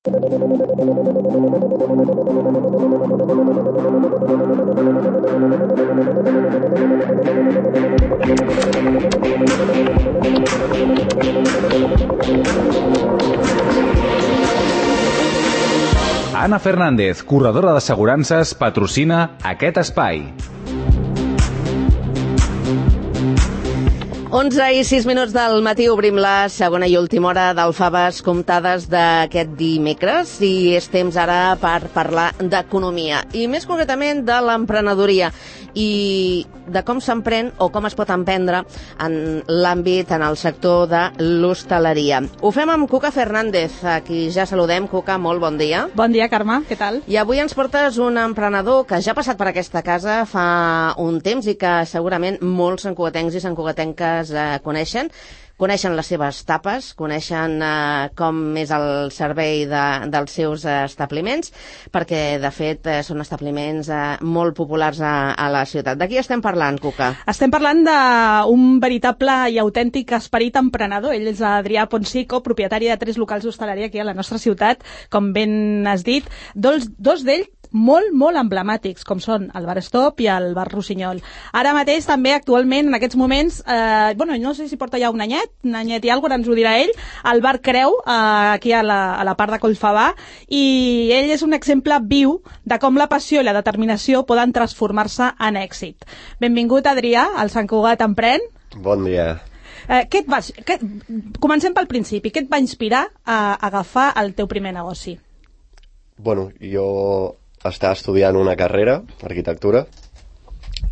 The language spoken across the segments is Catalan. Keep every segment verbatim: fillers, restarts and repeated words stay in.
Anna Fernández, corredora d'assegurances, patrocina aquest espai. onze i sis minuts del matí obrim la segona i última hora d'Alfaves comptades d'aquest dimecres i és temps ara per parlar d'economia i més concretament de l'emprenedoria i de com s'emprèn o com es pot emprendre en l'àmbit, en el sector de l'hostaleria. Ho fem amb Cuca Fernández, a qui ja saludem. Cuca, molt bon dia. Bon dia, Carme, què tal? I avui ens portes un emprenedor que ja ha passat per aquesta casa fa un temps i que segurament molts santcugatencs i santcugatenques eh, coneixen. Coneixen les seves tapes, coneixen eh, com és el servei de, dels seus eh, establiments, perquè, de fet, eh, són establiments eh, molt populars a, a la ciutat. De qui estem parlant, Cuca? Estem parlant d'un veritable i autèntic esperit emprenedor. Ell és Adrià Ponsico, propietari de tres locals d'hostaleria aquí a la nostra ciutat, com ben has dit. Dos, dos d'ells molt, molt emblemàtics, com són el Bar Stop i el Bar Rossinyol. Ara mateix, també, actualment, en aquests moments, eh, bueno, no sé si porta ja un anyet, un anyet i alguna cosa, ens ho dirà ell, el Bar Creu, eh, aquí a la, a la part de Collfabà, i ell és un exemple viu de com la passió i la determinació poden transformar-se en èxit. Benvingut, Adrià, al Sant Cugat Emprèn. Bon dia. Eh, què et va, què, comencem pel principi. Què et va inspirar a agafar el teu primer negoci? Bueno, jo estava estudiant una carrera, arquitectura,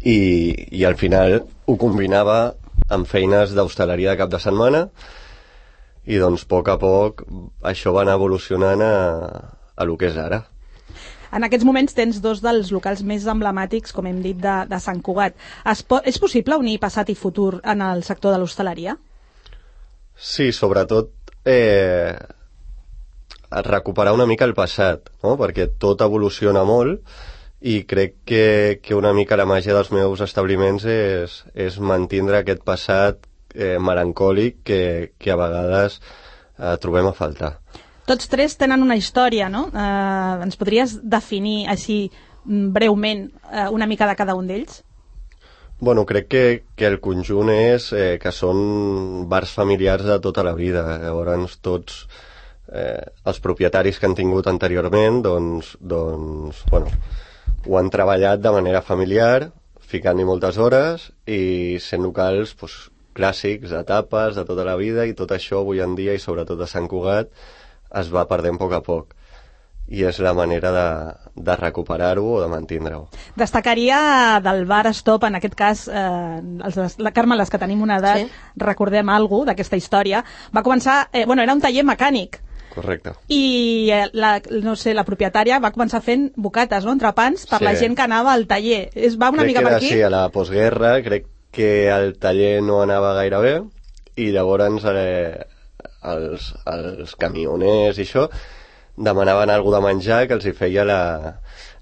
i, i al final ho combinava amb feines d'hostaleria de cap de setmana i doncs a poc a poc això va anar evolucionant a, a lo que és ara. En aquests moments tens dos dels locals més emblemàtics, com hem dit, de, de Sant Cugat. Es po és possible unir passat i futur en el sector de l'hostaleria? Sí, sobretot eh, recuperar una mica el passat, no? Perquè tot evoluciona molt i crec que, que una mica la màgia dels meus establiments és, és mantindre aquest passat eh, melancòlic que, que a vegades eh, trobem a faltar. Tots tres tenen una història, no? Eh, ens podries definir així breument eh, una mica de cada un d'ells? Bueno, crec que, que el conjunt és eh, que són bars familiars de tota la vida. Llavors tots eh, els propietaris que han tingut anteriorment doncs, doncs bueno, ho han treballat de manera familiar, ficant-hi moltes hores i sent locals doncs, clàssics, etapes de tota la vida, i tot això avui en dia, i sobretot a Sant Cugat, es va perdent a poc a poc. I és la manera de, de recuperar-ho o de mantindre-ho. Destacaria del Bar Stop, en aquest cas, eh, els, la Carme, les que tenim una edat, sí, recordem alguna cosa d'aquesta història. Va començar, eh, bueno, era un taller mecànic. Correcte. I eh, la, no sé, la propietària va començar fent bocates, no?, entrepans per sí, la gent que anava al taller. Es va una crec mica per aquí? Sí, a la postguerra crec que el taller no anava gaire bé i llavors eh, els, els camioners i això demanaven alguna de menjar que els hi feia la,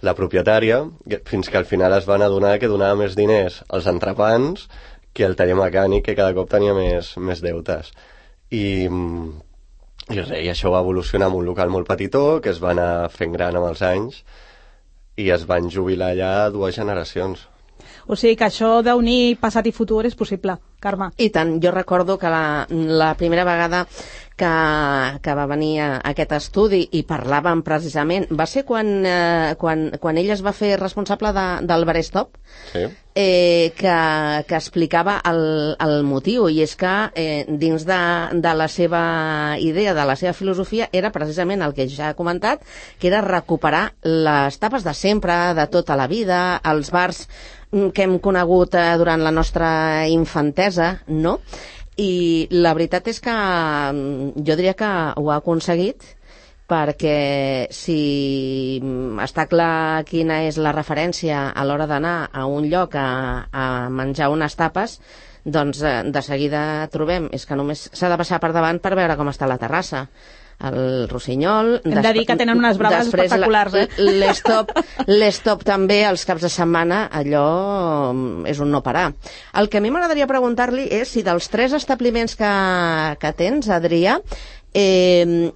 la propietària, fins que al final es van adonar que donava més diners als entrepans que el taller mecànic, que cada cop tenia més, més deutes. I, i, res, i això va evolucionar en un local molt petitó, que es va anar fent gran amb els anys, i es van jubilar allà dues generacions. O sigui que això d'unir passat i futur és possible, Carme. I tant, jo recordo que la, la primera vegada que, que va venir a aquest estudi i parlàvem precisament, va ser quan, eh, quan, quan ell es va fer responsable de, del Bar Stop, sí, eh, que, que explicava el, el motiu, i és que eh, dins de, de la seva idea, de la seva filosofia, era precisament el que ja ha comentat, que era recuperar les tapes de sempre, de tota la vida, els bars que hem conegut eh, durant la nostra infantesa, no? I la veritat és que jo diria que ho ha aconseguit, perquè si està clar quina és la referència a l'hora d'anar a un lloc a, a menjar unes tapes, doncs de seguida trobem, és que només s'ha de passar per davant per veure com està la terrassa. El Rossinyol... Hem de dir que tenen unes braves espectaculars, eh? L'Stop, l'Stop també, els caps de setmana, allò és un no parar. El que a mi m'agradaria preguntar-li és si dels tres establiments que, que tens, Adrià, eh,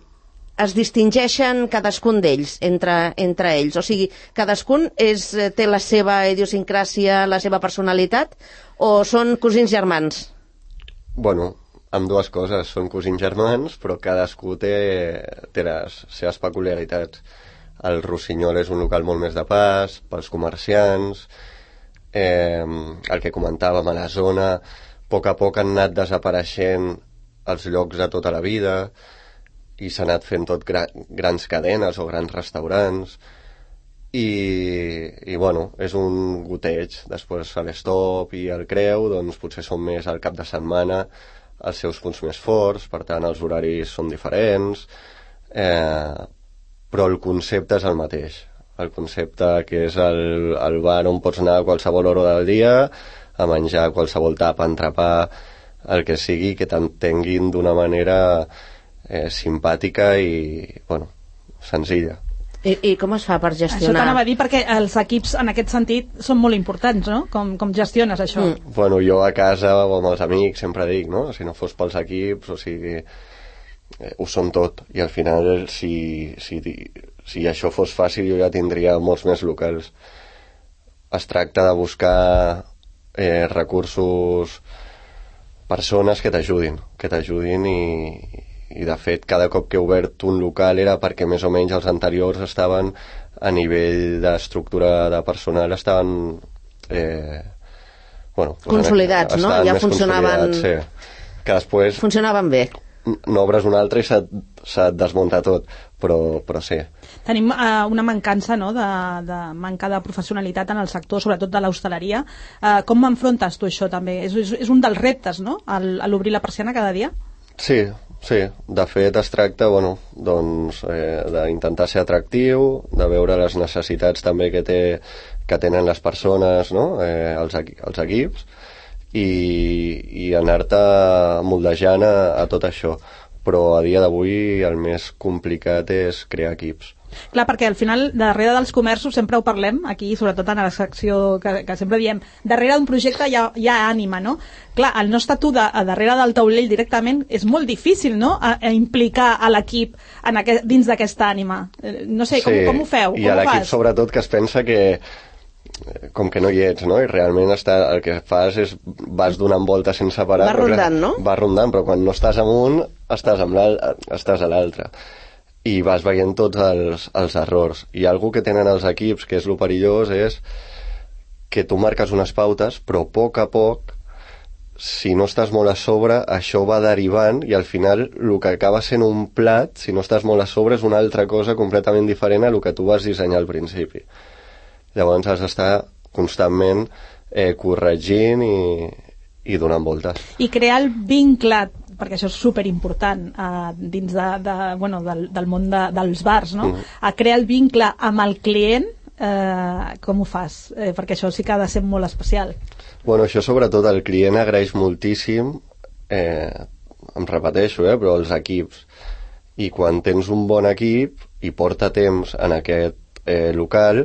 es distingeixen cadascun d'ells, entre, entre ells? O sigui, cadascun és, té la seva idiosincràsia, la seva personalitat, o són cosins germans? Bueno, amb dues coses. Són cosins germans, però cadascú té, té les seves peculiaritats. El Rossinyol és un local molt més de pas, pels comerciants, eh, el que comentàvem a la zona, a poc a poc han anat desapareixent els llocs de tota la vida i s'ha anat fent tot gra grans cadenes o grans restaurants i, i bueno, és un goteig. Després a l'Stop i el Creu doncs potser són més al cap de setmana els seus punts més forts, per tant els horaris són diferents, eh, però el concepte és el mateix. El concepte que és el, el bar on pots anar a qualsevol hora del dia a menjar qualsevol tapa, entrepà, el que sigui, que t'entenguin d'una manera eh, simpàtica i, bueno, senzilla. I, I com es fa per gestionar? Això t'anava a dir, perquè els equips en aquest sentit són molt importants, no? Com, com gestiones això? Mm. Bueno, jo a casa o amb els amics sempre dic, no? Si no fos pels equips, o sigui, eh, ho són tot. I al final, si, si, si això fos fàcil, jo ja tindria molts més locals. Es tracta de buscar eh, recursos, persones que t'ajudin, que t'ajudin i, i de fet cada cop que he obert un local era perquè més o menys els anteriors estaven a nivell d'estructura de personal, estaven eh, bueno, consolidats, no? Ja funcionaven, sí. Que després funcionaven bé. N'obres un altre i se't, se't desmunta tot, però, però sí. Tenim uh, una mancança, no?, de, de manca de professionalitat en el sector, sobretot de l'hostaleria. Uh, com enfrontes tu això també? És, és, és un dels reptes, no?, al, a l'obrir la persiana cada dia? Sí, sí. De fet es tracta, bueno, doncs, eh, d'intentar ser atractiu, de veure les necessitats també que, té, que tenen les persones, no?, eh, els, els equips, i, i anar-te moldejant a, a tot això. Però a dia d'avui el més complicat és crear equips. Clar, perquè al final, darrere dels comerços, sempre ho parlem, aquí, sobretot en la secció que, que sempre diem, darrere d'un projecte hi ha, hi ha ànima, no? Clar, el no estar tu de, a darrere del taulell directament és molt difícil, no?, a, a implicar a l'equip en aquest, dins d'aquesta ànima. No sé, com, sí, com ho feu? I a l'equip, sobretot, que es pensa que com que no hi ets, no? I realment està, el que fas és vas donant voltes sense parar. Va rondant, no? Va rondant, però quan no estàs amunt estàs, amb estàs a l'altre. I vas veient tots els, els errors. I algú que tenen els equips, que és lo perillós, és que tu marques unes pautes, però a poc a poc, si no estàs molt a sobre, això va derivant i al final el que acaba sent un plat, si no estàs molt a sobre, és una altra cosa completament diferent a el que tu vas dissenyar al principi. Llavors has d'estar constantment eh, corregint i, i donant voltes. I crear el vincle, perquè això és superimportant eh, dins de, de, bueno, del, del món de, dels bars, no? Mm. A crear el vincle amb el client, eh, com ho fas? Eh, perquè això sí que ha de ser molt especial. Bueno, això sobretot el client agraeix moltíssim, eh, em repeteixo, eh, però els equips. I quan tens un bon equip i porta temps en aquest Eh, local,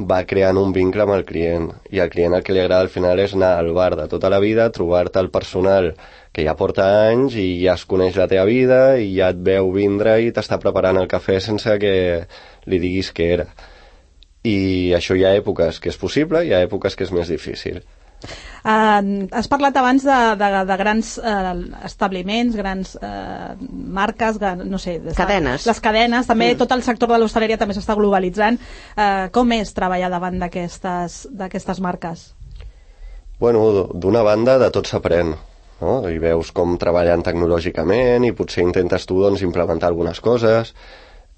va creant un vincle amb el client, i al client el que li agrada al final és anar al bar de tota la vida, trobar-te el personal que ja porta anys i ja es coneix la teva vida i ja et veu vindre i t'està preparant el cafè sense que li diguis què era. I això hi ha èpoques que és possible, hi ha èpoques que és més difícil. Uh, has parlat abans de, de, de grans uh, establiments, grans uh, marques, no sé... Cadenes. Les cadenes, també mm. tot el sector de l'hostaleria també s'està globalitzant. Uh, com és treballar davant d'aquestes marques? Bueno, d'una banda de tot s'aprèn, no? I veus com treballen tecnològicament i potser intentes tu doncs, implementar algunes coses.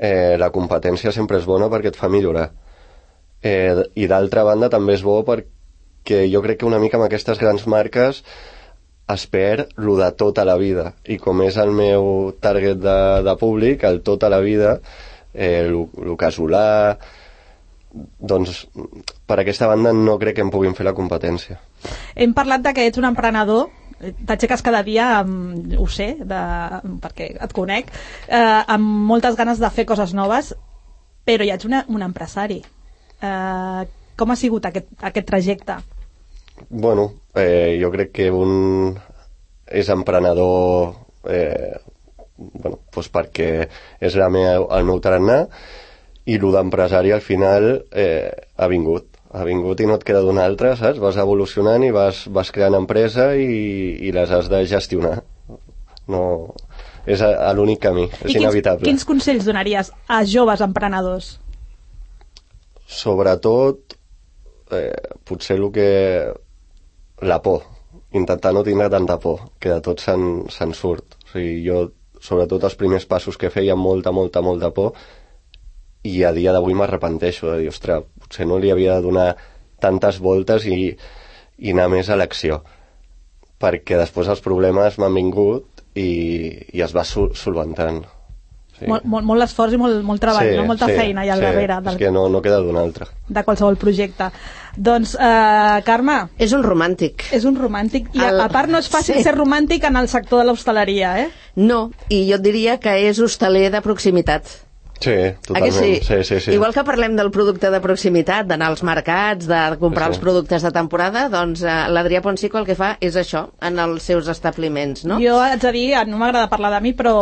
Eh, la competència sempre és bona perquè et fa millorar. Eh, I d'altra banda també és bo perquè que jo crec que una mica amb aquestes grans marques es perd lo de tota la vida, i com és el meu target de, de públic, el tota la vida, eh, lo, lo casolà, doncs per aquesta banda no crec que em puguin fer la competència. Hem parlat de que ets un emprenedor, t'aixeques cada dia amb, ho sé, de, perquè et conec, eh, amb moltes ganes de fer coses noves, però ja ets una, un empresari. Eh, com ha sigut aquest, aquest trajecte? Bueno, eh, jo crec que un és emprenedor eh, bueno, doncs perquè és la meva, el meu tarannà, i el d'empresari al final eh, ha vingut. Ha vingut i no et queda d'una altra, saps? Vas evolucionant i vas, vas creant empresa i, i les has de gestionar. No, és a, a l'únic camí, és I quins, inevitable. quins consells donaries a joves emprenedors? Sobretot, eh, potser el que... la por. Intentar no tindre tanta por, que de tot se'n se'n surt. O sigui, jo, sobretot els primers passos que feia, molta, molta, molta por, i a dia d'avui m'arrepenteixo de dir, ostres, potser no li havia de donar tantes voltes i, i anar més a l'acció, perquè després els problemes m'han vingut i, i es va sol solventant. Sí. Molt, molt, molt esforç i molt, molt treball, sí, no? Molta sí, feina allà al sí, darrere del, és que no, no queda d'una altra. de qualsevol projecte. Doncs, eh, Carme, És un romàntic. és un romàntic, i a, El- a part no és fàcil sí. ser romàntic en el sector de l'hostaleria, eh? No, i jo et diria que és hostaler de proximitat. Sí, Ah, que totalment. sí? Sí, sí, sí. Igual que parlem del producte de proximitat, d'anar als mercats, de comprar Sí, sí. els productes de temporada, doncs eh, l'Adrià Ponsico el que fa és això, en els seus establiments, no? Jo haig de dir, no m'agrada parlar de mi, però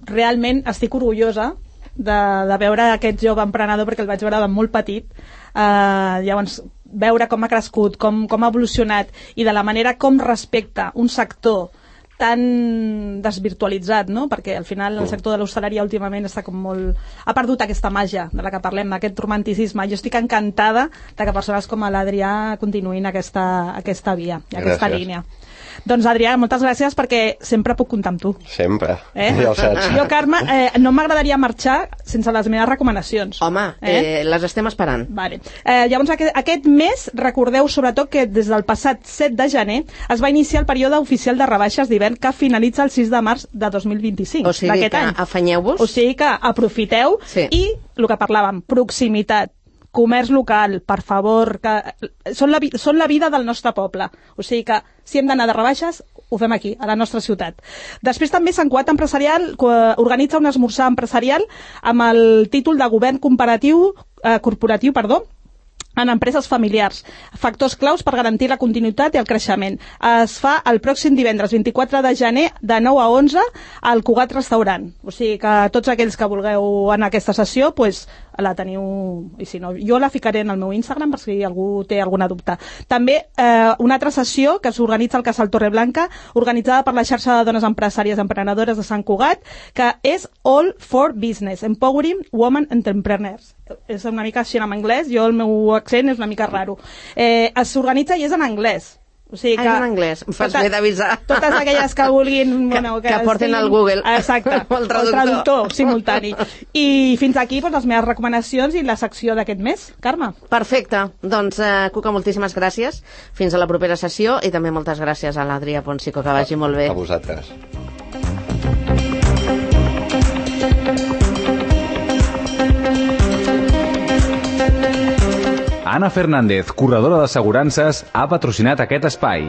realment estic orgullosa de, de veure aquest jove emprenedor, perquè el vaig veure de molt petit. Uh, llavors, veure com ha crescut, com, com ha evolucionat, i de la manera com respecta un sector tan desvirtualitzat, no? Perquè al final el sector de l'hostaleria últimament està com molt... ha perdut aquesta màgia de la que parlem, d'aquest romanticisme. Jo estic encantada de que persones com l'Adrià continuïn aquesta, aquesta via, i aquesta Gràcies. línia. Doncs Adrià, moltes gràcies, perquè sempre puc comptar amb tu. Sempre, Eh? ja ho saps. Jo, Carme, eh, no m'agradaria marxar sense les meves recomanacions. Home, eh? les estem esperant. Vale. Eh, llavors, aquest, aquest mes, recordeu sobretot que des del passat set de gener es va iniciar el període oficial de rebaixes d'hivern que finalitza el sis de març de dos mil vint-i-cinc, O sigui d'aquest que any. afanyeu-vos. O sigui que aprofiteu, Sí. i el que parlàvem, proximitat, comerç local, per favor, que són la, vi- són la vida del nostre poble. O sigui que si hem d'anar de rebaixes, ho fem aquí, a la nostra ciutat. Després també Sant Cugat Empresarial co- organitza un esmorzar empresarial amb el títol de govern comparatiu, eh, corporatiu, perdó, en empreses familiars. Factors claus per garantir la continuïtat i el creixement. Es fa el pròxim divendres vint-i-quatre de gener de nou a onze al Cugat Restaurant. O sigui que tots aquells que vulgueu anar a aquesta sessió, pues, la teniu, i si no, jo la ficaré en el meu Instagram per si algú té alguna dubte. També eh, una altra sessió que s'organitza al Casal Torreblanca, organitzada per la xarxa de dones empresàries emprenedores de Sant Cugat, que és All for Business, Empowering Women Entrepreneurs. És una mica així en anglès, jo el meu accent és una mica raro. Eh, S'organitza i és en anglès. O sigui Ah, que, és en anglès. Em fas bé d'avisar. Totes aquelles que vulguin... Bueno, Que- que porten estiguin- al Google. Exacte, El traductor. el traductor simultani. I fins aquí doncs, les meves recomanacions i la secció d'aquest mes. Carme. Perfecte. Doncs, eh, Cuca, moltíssimes gràcies. Fins a la propera sessió i també moltes gràcies a l'Adrià Ponsico. Que vagi molt bé. A vosaltres. Anna Fernández, corredora d'assegurances, ha patrocinat aquest espai.